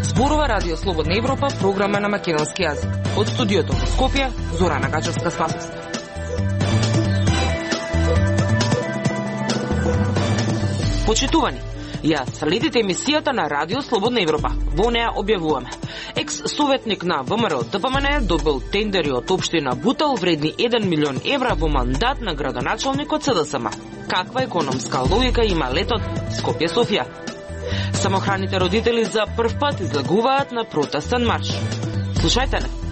Зборува Радио Слободна Европа, програма на македонски јазик. Од студиото во Скопје, Зорана Гачевска-Спасовска. Почитувани, ја следите емисијата на Радио Слободна Европа. Во неа објавуваме: екс-советник на ВМРО ДПМН добил тендери од општина Бутел вредни 1 милион евра во мандат на градоначалникот СДСМ. Каква економска логика има летот Скопје-Софија? Самохраните родители за прв пат излегуваат на протестен марш. Слушајте не.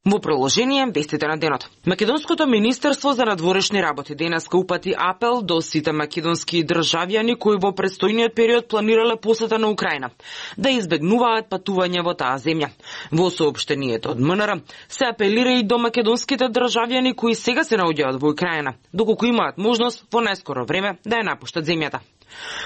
Во приложение вестите на денот. Македонското министерство за надворешни работи денеска упати апел до сите македонски државјани кои во предстојниот период планирале посета на Украина да избегнуваат патување во таа земја. Во соопштението од МНР се апелира и до македонските државјани кои сега се наоѓаат во Украина, доколку имаат можност во најскоро време да ја напуштат земјата.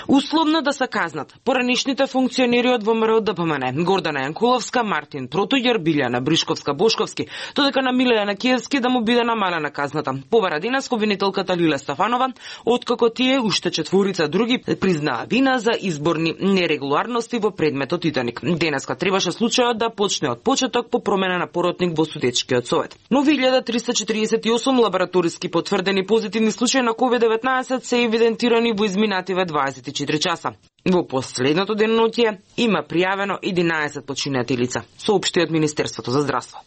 Условно да се казнат поранишните функционери од ВМРО ДПМН Гордана Јанкуловска, Мартин Протуѓер, Билјана Бришковска-Бошковски, додека на Милејана Киевски да му биде намалена казната. Побара денес обвинителката Лиле Стафанова, откако тие уште четворица други признаа вина за изборни нерегуларности во предметот Титаник. Денеска требаше случајот да почне од почеток по промена на поротник во судечкиот совет. Но 1348 лабораториски потврдени позитивни случаи на COVID-19 се евидентирани во изминативе 24 часа. Во последното деноноќие има пријавено 11 починати лица, соопшти од Министерството за здравство.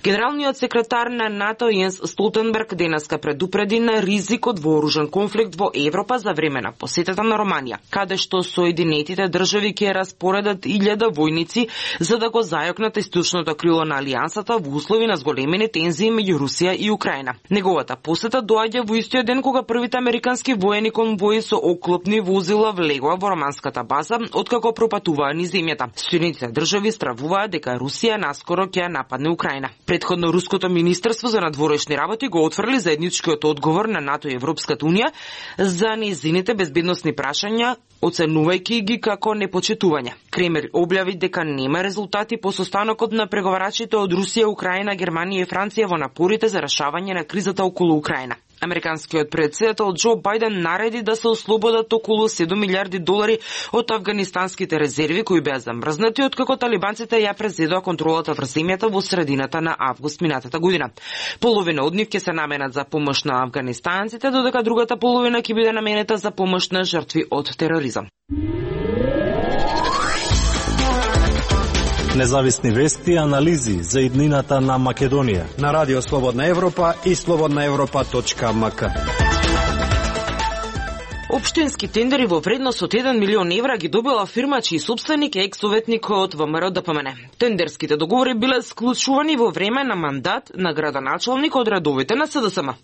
Генералниот секретар на НАТО Јенс Столтенберг денеска предупреди на ризик од вооружен конфликт во Европа за време на посетата на Романија, каде што Соединетите држави ќе распоредат 1000 војници за да го зајакнат источното крило на алијансата во услови на зголемени тензии меѓу Русија и Украина. Неговата посета доаѓа во истиот ден кога првите американски воени конвои со оклопни возила влегоа во романската база откако пропатуваа низ земјата. Соединетите држави стравуваат дека Русија наскоро ќе нападне Украина. Претходно руското министерство за надворешни работи го отфрли заедничкиот одговор на НАТО и Европската унија за нејзините безбедносни прашања, оценувајќи ги како непочитување. Кремљ објави дека нема резултати по состанокот на преговарачите од Русија, Украина, Германија и Франција во напорите за решавање на кризата околу Украина. Американскиот претседател Џо Бајден нареди да се ослободат околу 7 милиарди долари од афганистанските резерви кои беа замрзнати откако талибанците ја презедоа контролата врз земјата во средината на август минатата година. Половина од нив ќе се наменат за помош на афганистанците, додека другата половина ќе биде наменета за помош на жртви од тероризам. Независни вести и анализи за иднината на Македонија на Радио Слободна Европа и slobodnaevropa.mk. Општински тендери во вредност од 1 милион евра ги добила фирма чиј собственик е екс-советникот ВМРО ДПМН. Тендерските договори биле склучувани во време на мандат на градоначалник од редовите на СДСМ.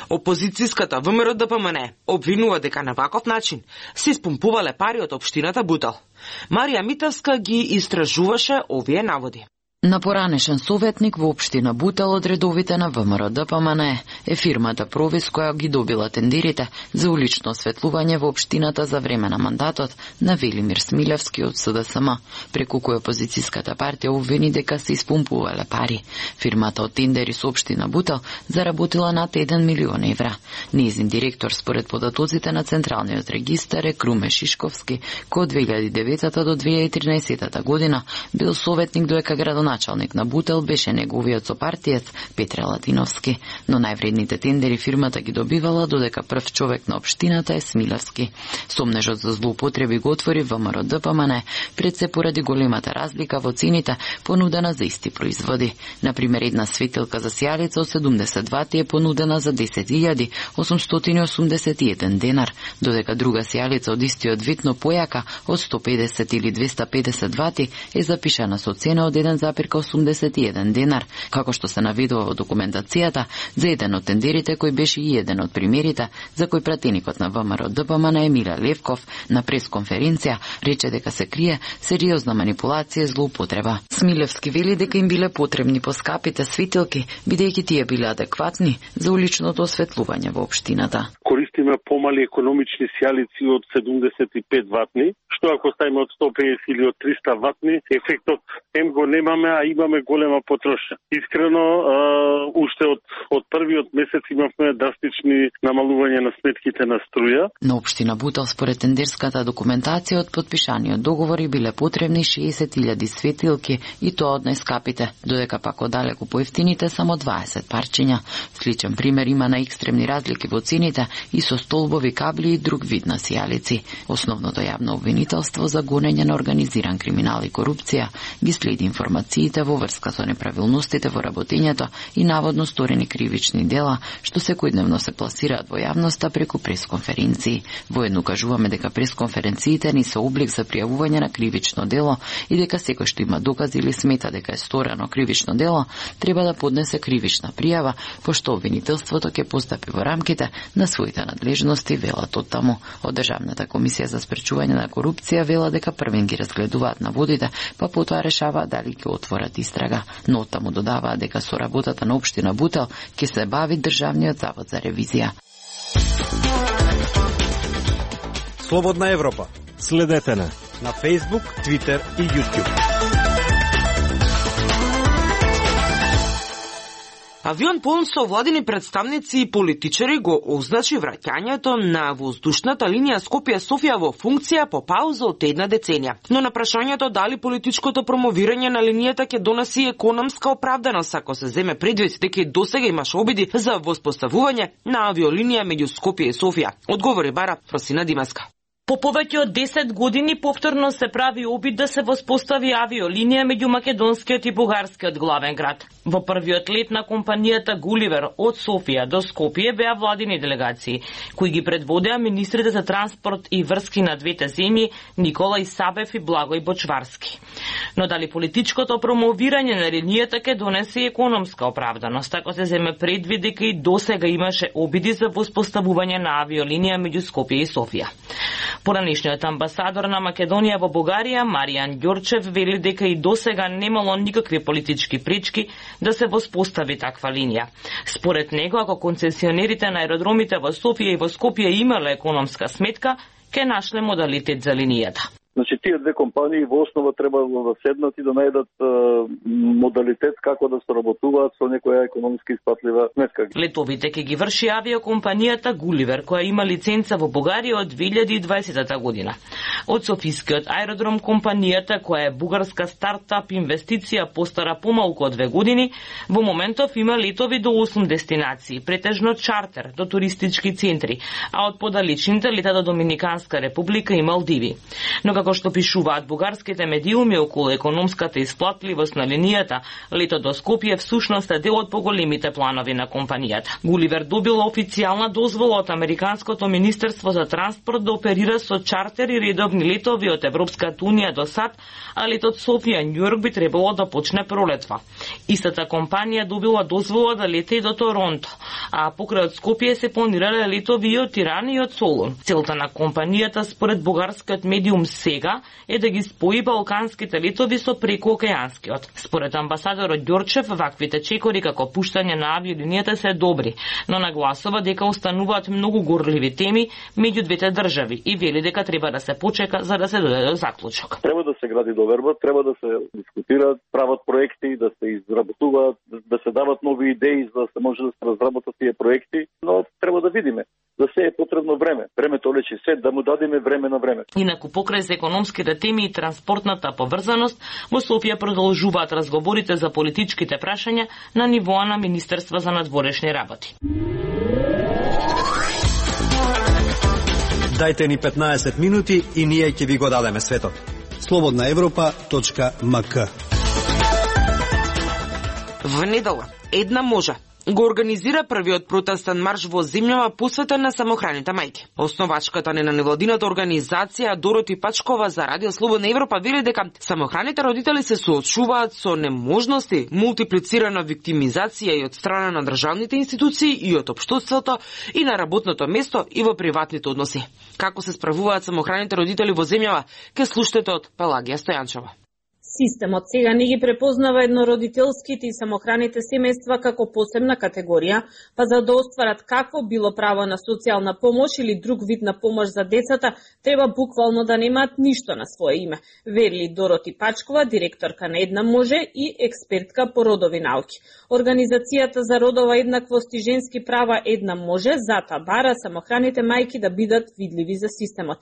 Опозицијската ВМРО ДПМН обвинува дека на ваков начин се испумпувале пари од општината Бутел. Марија Митевска ги истражуваше овие наводи. На поранешен советник во општина Бутел од редовите на ВМРО ДПМН е фирмата Провис која ги добила тендерите за улично осветлување во општината за време на мандатот на Велимир Смилевски од СДСМ, преку кој опозицијската партија обвини дека се испумпувале пари. Фирмата од тендери со општина Бутел заработила над 1 милион евра. Нејзин директор според податоците на Централниот регистар е Круме Шишковски, кој од 2009 до 2013 година бил советник доека градоначалник на Бутел беше неговиот сопартиец Петре Латиновски, но највредните тендери фирмата ги добивала додека прв човек на општината е Смилевски. Сомнежот за злоупотреби го отвори ВМРО ДПМН пред се поради големата разлика во цените понудена за исти производи. Например, една светилка за сијалица од 70 вати е понудена за 10.881 денар, додека друга сијалица од истиот вид но појака од 150 или 250 вати е запишана со цена од 1,81 денар, како што се наведува во документацијата за еден од тендерите кој беше и еден од примерите за кој пратеникот на ВМРО ДПМН Емилија Левков на пресконференција рече дека се крие сериозна манипулација и злоупотреба. Смилевски вели дека им биле потребни поскапите светилки, бидејќи тие биле адекватни за уличното осветлување во општината. користиме помали економични сијалици од 75 ватни, што ако ставиме од 150 или од 300 ватни, ефектот го немаме, а имаме голема потрошња. Искрено, уште од првиот месец имавме драстични намалување на сметките на струја. На општина Бутел според тендерската документација од подпишаниот договори биле потребни 60.000 светилки и тоа од најскапите, додека пак од далеку поевтините само 20 парчиња. Сличен пример има на екстремни разлики во цените и со столбови, кабли и друг вид на сијалици. Основното јавно обвинителство за гонење на организиран криминал и корупција ги следи информациите во врска со неправилностите во работењето и наводно сторени кривични дела, што секојдневно се пласираат во јавноста преку пресконференции. Воедно кажуваме дека пресконференциите не се облик за пријавување на кривично дело и дека секој што има докази или смета дека е сторено кривично дело, треба да поднесе кривична пријава, пошто обвинителството ќе постапи во рамките на своите надлежности, велат од таму. Од Државната комисија за спречување на корупција вела дека првен ги разгледуваат наводите, па потоа решаваат дали ќе отворат истрага. Но од таму додаваат дека со работата на општина Бутел ќе се бави Државниот завод за ревизија. Слободна Европа. Следете на Facebook, Twitter и YouTube. Авион полн со владини представници и политичари го означи враќањето на воздушната линија Скопје-Софија во функција по пауза од една деценија. Но на прашањето дали политичкото промовирање на линијата ќе донеси економска оправданост ако се земе предвид дека и досега имаше обиди за воспоставување на авиолинија меѓу Скопје и Софија, одговори бара Фросина Димаска. По повеќе од 10 години повторно се прави обид да се воспостави авиолинија меѓу македонскиот и бугарскиот главен град. Во првиот лет на компанијата Гуливер од Софија до Скопје беа владини делегации, кои ги предводеа министрите за транспорт и врски на двете земји Николај Сабев и Благој Бочварски. Но дали политичкото промовирање на линијата ќе донесе економска оправданост, ако се земе предвид дека и досега имаше обиди за воспоставување на авиолинија меѓу Скопје и Софија. Поранешниот амбасадор на Македонија во Бугарија, Маријан Ѓорчев, вели дека и досега немало никакви политички пречки да се воспостави таква линија. Според него, ако концесионерите на аеродромите во Софија и во Скопје имале економска сметка, ќе нашле модалитет за линијата. Значи, тие две компании во основа треба да седнат и да најдат модалитет како да соработуваат со некоја економски испатлива сметка. Летовите ќе ги врши авиокомпанијата Гуливер, која има лиценца во Бугарија од 2020 година. Од Софискиот аеродром компанијата, која е бугарска стартап инвестиција постара помалку од 2 години, во моментов има летови до 8 дестинации, претежно чартер до туристички центри, а од подалечните лета до Доминиканска република и Малдиви. Но како што пишуваат бугарските медиуми околу економската исплатливост на линијата, лето до Скопје всушност е дел од поголемите планови на компанијата. Гуливер добила официјална дозвола од Американското министерство за транспорт да оперира со чартер и редовни летови од Европската унија до САД, а летот Софија-Њујорк би требало да почне пролетва. Истата компанија добила дозвола да лете и до Торонто, а покрај од Скопје се планирале летови и од Тирана и од Солун. Целта на компанијата според бугарскиот медиум сега е да ги спои балканските летови со прекоокеанскиот. Според амбасадорот Ѓорчев, ваквите чекори како пуштање на авиолинијата се добри, но нагласува дека остануваат многу горливи теми меѓу двете држави и вели дека треба да се почека за да се дојде до заклучок. Треба да се гради доверба, треба да се дискутираат, прават проекти, да се изработуваат, да се дават нови идеи за да се може да се разработат тие проекти, но треба да видиме. За се е потребно време. Времето лечи се, да му дадеме време на време. Инаку покрај за економските теми и транспортната поврзаност, во Софија продолжуваат разговорите за политичките прашања на нивоа на Министерство за надворешни работи. Дајте ни 15 минути и ние ќе ви го дадеме светот. slobodnaevropa.mk. В недела една можа го организира првиот протестен марш во земјава посветен на самохраните мајки. Основачката на невладината организација Дороти Пачкова за Радио Слободна Европа вели дека самохраните родители се соочуваат со неможности, мултиплицирана виктимизација и од страна на државните институции и од општеството и на работното место и во приватните односи. Како се справуваат самохраните родители во земјава, ке слушате од Пелагија Стојанчева. Системот сега не ги препознава еднородителските и самохраните семејства како посебна категорија, па за да остварат какво било право на социјална помош или друг вид на помош за децата, треба буквално да немаат ништо на свое име, вели Дороти Пачкова, директорка на Една може и експертка по родови науки. Организацијата за родова еднаквост и женски права Една може затоа бара самохраните мајки да бидат видливи за системот.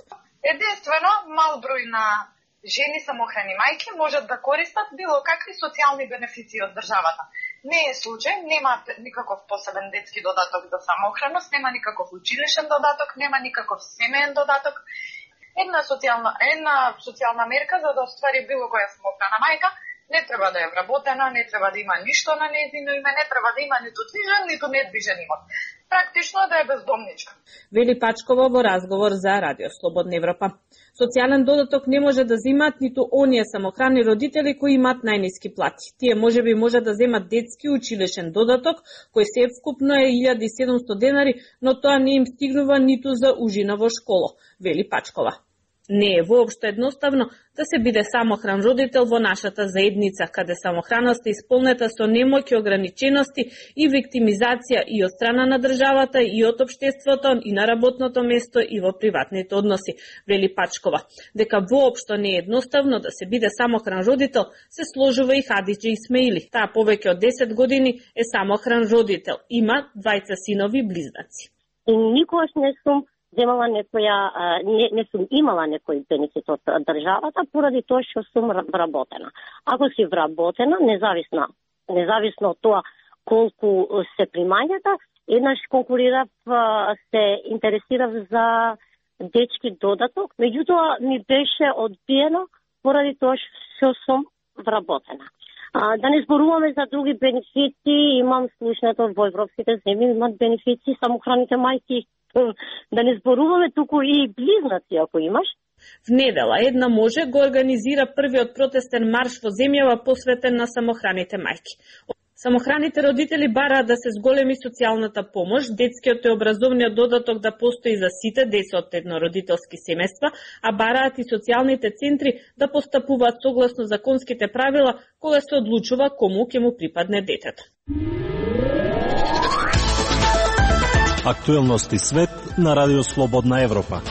Единствено, мал број на жени самохрани мајки можат да користат било какви социјални бенефиции од државата. Не е случај, нема никаков посебен детски додаток за самохраност, нема никаков училишен додаток, нема никаков семеен додаток. Една социјална мерка за да оствари било која самохрана мајка не треба да е вработена, не треба да има ништо на нејзино име, не треба да има ниту движен, ниту недвижен имот. Практично да е бездомничка. Вели Пачкова во разговор за Радио Слободна Европа. Социјален додаток не може да земат ниту оние самохрани родители кои имаат најниски плати. Тие можеби може да земат детски училишен додаток, кој севкупно е 1700 денари, но тоа не им стигнува ниту за ужина во школа, вели Пачкова. Не е воопшто едноставно да се биде самохран родител во нашата заедница, каде самохраноста е исполнета со немоќ и ограничености и виктимизација и од страна на државата, и од општеството, и на работното место, и во приватните односи, вели Пачкова. Дека воопшто не е едноставно да се биде самохран родител, се сложува и Хадиџа Исмаили. Таа повеќе од 10 години е самохран родител. Има 2 синови близнаци. Никогаш не сум земала не сум имала некој бенефит од државата поради тоа што сум вработена. Ако си вработена, независно од тоа колку се примањата, еднаш конкурирав, се интересирав за дечки додаток, меѓутоа ми беше одбиено поради тоа што сум вработена. Да не зборуваме за други бенефити, имам слушнато во европските земји имат бенефити самохраните мајки. Да не зборуваме туку и близнаци ако имаш. В недела Една може го организира првиот протестен марш во земјава посветен на самохраните мајки. Самохраните родители бараат да се зголеми социјалната помош, детскиот и образовниот додаток да постои за сите деца од еднородителски семејства, а бараат и социјалните центри да постапуваат согласно законските правила кога се одлучува кому ќе му припадне детето. Актуелности свет на Радио Слободна Европа.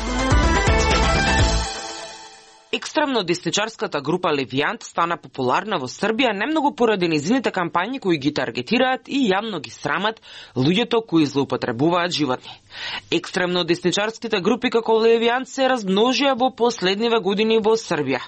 Екстремно десничарската група Левијант стана популарна во Србија немногу поради низините кампањи кои ги таргетираат и јавно ги срамат луѓето кои злоупотребуваат животни. Екстремно десничарските групи како Левијант се размножија во последниве години во Србија.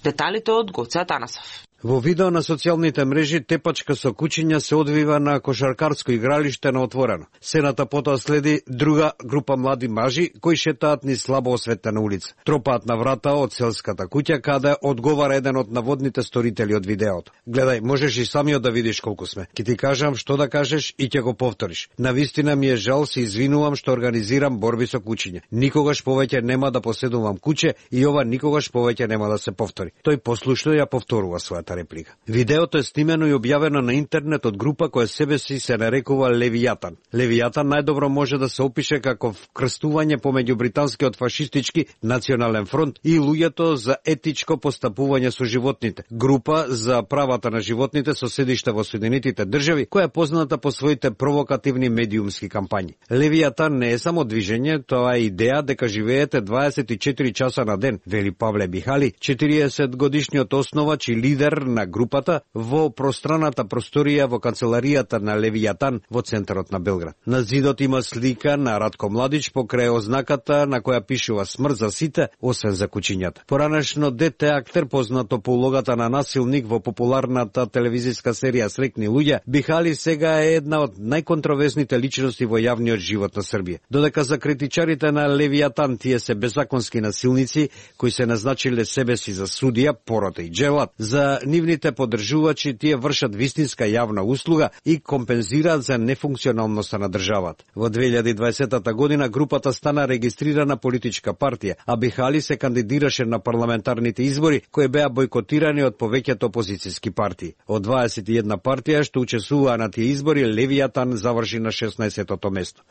Деталите од Гоце Атанасов. Во видео на социјалните мрежи тепачка со кучиња се одвива на кошаркарско игралиште на отворено. Сената потоа следи друга група млади мажи кои шетаат низ слабо осветлена улица. Тропаат на врата од селската куќа каде одговара еден од наводните сторители од видеото. Гледај, можеш и самиот да видиш колку сме. Ке ти кажам што да кажеш и ќе го повториш. Навистина ми е жал, се извинувам што организирам борби со кучиња. Никогаш повеќе нема да поседувам куче и ова никогаш повеќе нема да се повтори. Тој послушно ја повторува својата реплика. Видеото е снимено и објавено на интернет од група која себе си се нарекува Левијатан. Левијатан најдобро може да се опише како вкрстување помеѓу британскиот фашистички национален фронт и луѓето за етичко постапување со животните. Група за правата на животните со седиште во Соединетите држави, која е позната по своите провокативни медиумски кампањи. Левијатан не е само движење, тоа е идеја дека живеете 24 часа на ден, вели Павле Бихали, 40 годишниот основач и лидер на групата во пространата просторија во канцеларијата на Левијатан во центарот на Белград. На зидот има слика на Радко Младич покрај ознаката на која пишува смрт за сите, освен за кучињата. Поранешно дете актер познато по улогата на насилник во популарната телевизиска серија Срекни луѓе, Бихали сега е една од најконтроверзните личности во јавниот живот на Србија. Додека за критичарите на Левијатан тие се беззаконски насилници кои се назначиле себе си за судија, порота и джелат, за нивните поддржувачи тие вршат вистинска јавна услуга и компензираат за нефункционалноста на државата. Во 2020 година групата стана регистрирана политичка партија, а Бихали се кандидираше на парламентарните избори кои беа бојкотирани од повеќето опозицијски партии. Од 21 партија што учествуваа на тие избори, Левијатан заврши на 16-тото место.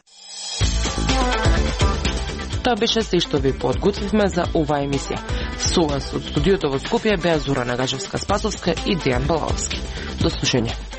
Тоа беше се што ви подготвивме за оваа емисија. Со вас од студиото во Скопје беа Зора Нагажевска-Спасовска и Дејан Балаловски. До слушање.